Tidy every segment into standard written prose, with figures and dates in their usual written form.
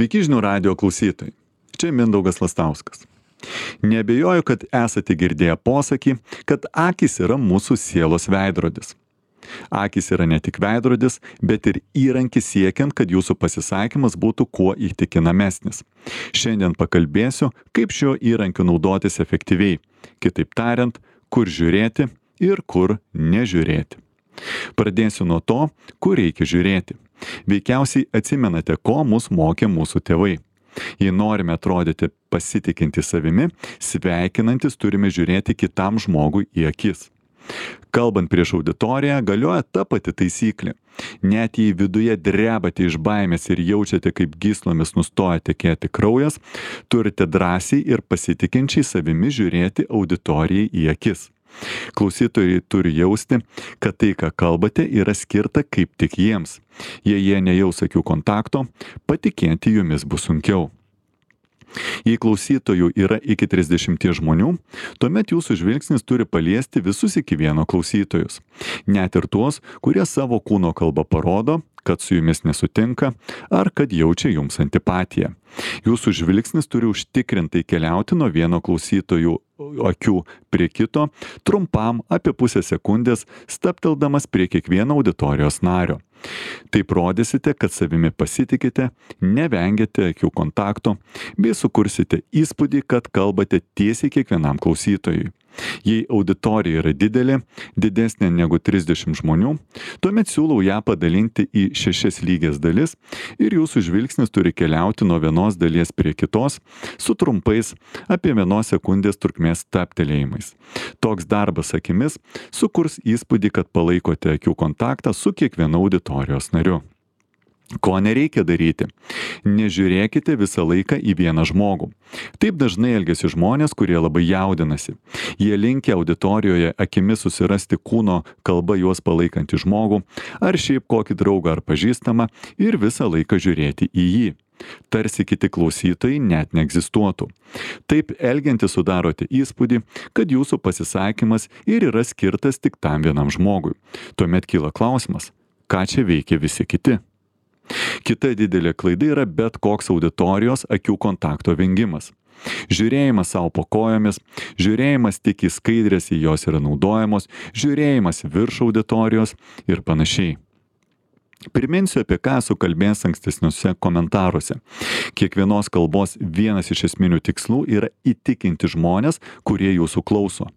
Sveiki žinių radijo klausytojai. Čia Mindaugas Lastauskas. Neabejoju, kad esate girdėję posakį, kad akys yra mūsų sielos veidrodis. Akys yra ne tik veidrodis, bet ir įrankis siekiant, kad jūsų pasisakymas būtų kuo įtikinamesnis. Šiandien pakalbėsiu, kaip šiuo įrankiu naudotis efektyviai. Kitaip tariant, kur žiūrėti ir kur nežiūrėti. Pradėsiu nuo to, kur reikia žiūrėti. Veikiausiai atsimenate, ko mus mokė mūsų tėvai. Jei norime atrodyti pasitikinti savimi, sveikinantis turime žiūrėti kitam žmogui į akis. Kalbant prieš auditoriją, galioja ta pati taisyklė. Net jei viduje drebate iš baimės ir jaučiate, kaip gyslomis nustoja tekėti kraujas, turite drąsiai ir pasitikinčiai savimi žiūrėti auditorijai į akis. Klausytojai turi jausti, kad tai, ką kalbate, yra skirta kaip tik jiems. Jei jie nejaus akių kontakto, patikėti jumis bus sunkiau. Jei klausytojų yra iki 30 žmonių, tuomet jūsų žvilgsnis turi paliesti visus iki vieno klausytojus. Net ir tuos, kurie savo kūno kalbą parodo, kad su jumis nesutinka ar kad jaučia jums antipatiją. Jūsų žvilgsnis turi užtikrintai keliauti nuo vieno klausytojų akių prie kito, trumpam apie pusę sekundės, stabteldamas prie kiekvieno auditorijos nario. Taip rodysite, kad savimi pasitikite, nevengiate akių kontakto, bei sukursite įspūdį, kad kalbate tiesiai kiekvienam klausytojui. Jei auditorija yra didelė, didesnė negu 30 žmonių, tuomet siūlau ją padalinti į 6 lygias dalis ir jūsų žvilgsnis turi keliauti nuo vienos dalies prie kitos su trumpais apie 1 sekundės trukmės stabtelėjimais. Toks darbas akimis sukurs įspūdį, kad palaikote akių kontaktą su kiekvienu auditorijos nariu. Ko nereikia daryti? Nežiūrėkite visą laiką į vieną žmogų. Taip dažnai elgiasi žmonės, kurie labai jaudinasi. Jie linkę auditorijoje akimis susirasti kūno kalba juos palaikantį žmogų, ar šiaip kokį draugą ar pažįstamą ir visą laiką žiūrėti į jį. Tarsi kiti klausytojai net neegzistuotų. Taip elgiantis sudarote įspūdį, kad jūsų pasisakymas ir yra skirtas tik tam vienam žmogui. Tuomet kyla klausimas, ką čia veikia visi kiti? Kita didelė klaida yra bet koks auditorijos akių kontakto vengimas. Žiūrėjimas savo po kojomis, žiūrėjimas tik į skaidrės, į jos yra naudojamos, žiūrėjimas virš auditorijos ir panašiai. Priminsiu, apie ką esu kalbėjęs ankstesniuose komentaruose. Kiekvienos kalbos vienas iš esminių tikslų yra įtikinti žmonės, kurie jūsų klauso.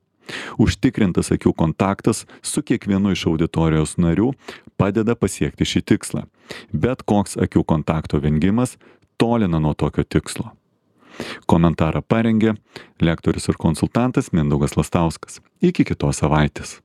Užtikrintas akių kontaktas su kiekvienu iš auditorijos narių padeda pasiekti šį tikslą. Bet koks akių kontakto vengimas tolina nuo tokio tikslo. Komentarą parengė lektorius ir konsultantas Mindaugas Lastauskas. Iki kitos savaitės.